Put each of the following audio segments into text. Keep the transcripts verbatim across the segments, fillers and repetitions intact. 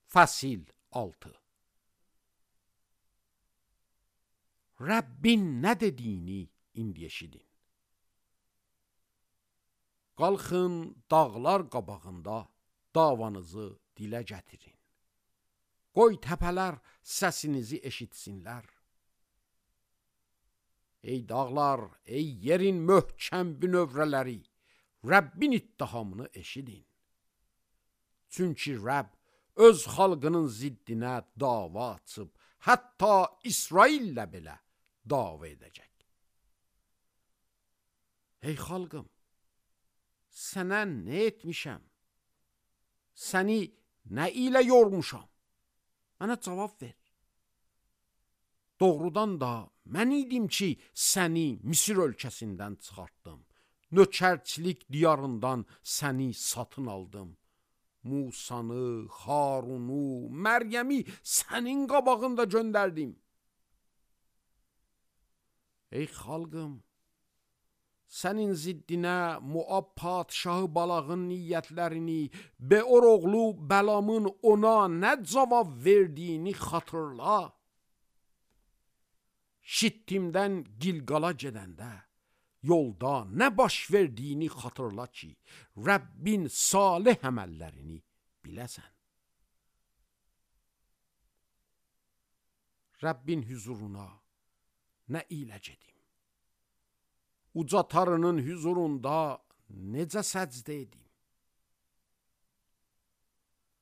Fəsil altı. Rəbbin nə dediyini indi eşidin. Qalxın dağlar qabağında davanızı dilə gətirin. Qoy təpələr səsinizi eşitsinlər. Ey dağlar, ey yerin möhkəm bünövrələri, Rəbbin ittihamını eşidin. Çünki Rəbb öz xalqının ziddinə dava açıb, hətta İsraillə belə dava edəcək. Ey xalqım, sənə nə etmişəm? Səni nə ilə yormuşam? Mənə cavab ver. Doğrudan da mən idim ki, səni Misir ölkəsindən çıxartdım. Nökərçilik diyarından səni satın aldım. Musanı, Harunu, Məryəmi sənin qabağında göndərdim. Ey xalqım, sənin ziddinə Moab padşahı Balağın niyyətlərini, Beor oğlu Bəlamın ona nə cavab verdiyini xatırla. Şittimdən Gilqala gedəndə yolda nə baş verdiyini xatırla ki, Rəbbin salih əməllərini biləsən. Rəbbin hüzuruna nə ilə gedim? Uca tarının hüzurunda necə səcdə edim?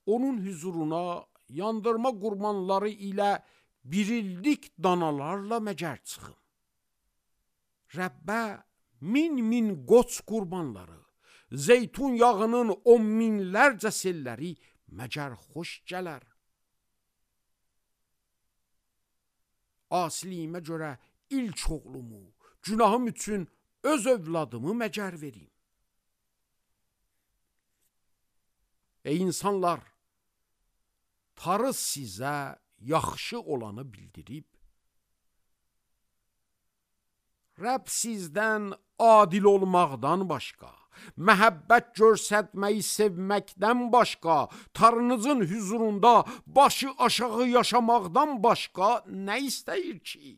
Onun hüzuruna yandırma qurbanları ilə bir illik danalarla məgər çıxım. Rəbbə min min qoç qurbanları, zeytun yağının on minlərcə selləri məgər xoş gələr. Asiliyimə görə ilk oğlumu, günahım üçün öz övladımı məgər verim. Ey insanlar, tarı sizə yaxşı olanı bildirib, Rəbb sizdən adil olmaqdan başqa, məhəbbət görsətməyi sevməkdən başqa, tarınızın hüzurunda başı aşağı yaşamaqdan başqa nə istəyir ki?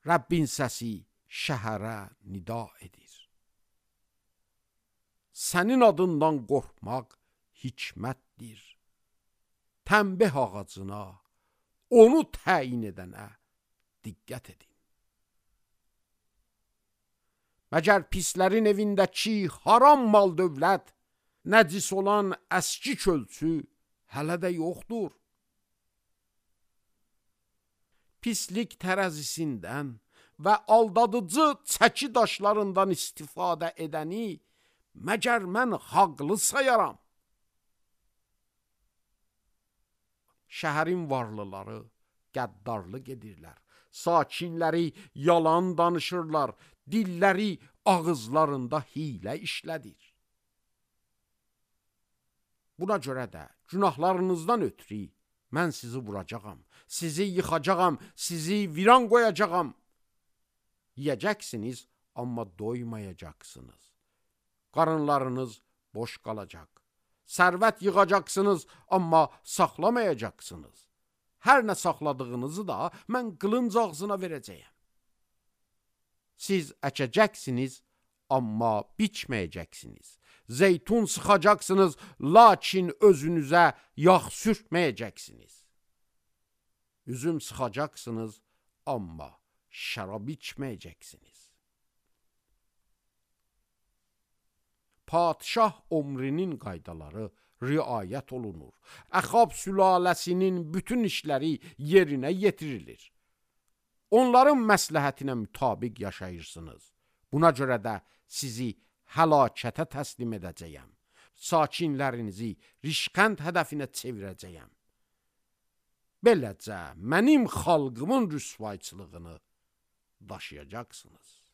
Rəbbin səsi şəhərə nida edir. Sənin adından qorxmaq hikmətdir. Tənbeh ağacına, onu təyin edənə diqqət edin. Məgər pislərin evindəki haram mal dövlət, nəcis olan əski kölçü hələ də yoxdur. Pislik tərəzisindən və aldadıcı çəki daşlarından istifadə edəni məgər mən haqlı sayaram. Şəhərin varlıları qəddarlıq edirlər, sakinləri yalan danışırlar, dilləri ağızlarında hiylə işlədir. Buna görə də günahlarınızdan ötürü mən sizi vuracağam, sizi yıxacağam, sizi viran qoyacağam. Yiyəcəksiniz, amma doymayacaqsınız. Qarınlarınız boş qalacaq. Sərvət yığacaqsınız, amma saxlamayacaqsınız. Hər nə saxladığınızı da mən qılınc ağzına verəcəyəm. Siz əkəcəksiniz, amma biçməyəcəksiniz. Zeytun sıxacaqsınız, lakin özünüzə yağ sürtməyəcəksiniz. Üzüm sıxacaqsınız, amma şərab içməyəcəksiniz. Padşah ömrünün qaydaları riayət olunur. Əxab sülaləsinin bütün işləri yerinə yetirilir. Onların məsləhətinə mütabiq yaşayırsınız. Buna görə də sizi həlakətə təslim edəcəyəm. Sakinlərinizi rişqənd hədəfinə çevirəcəyəm. Beləcə mənim xalqımın rüsvayçılığını daşıyacaqsınız.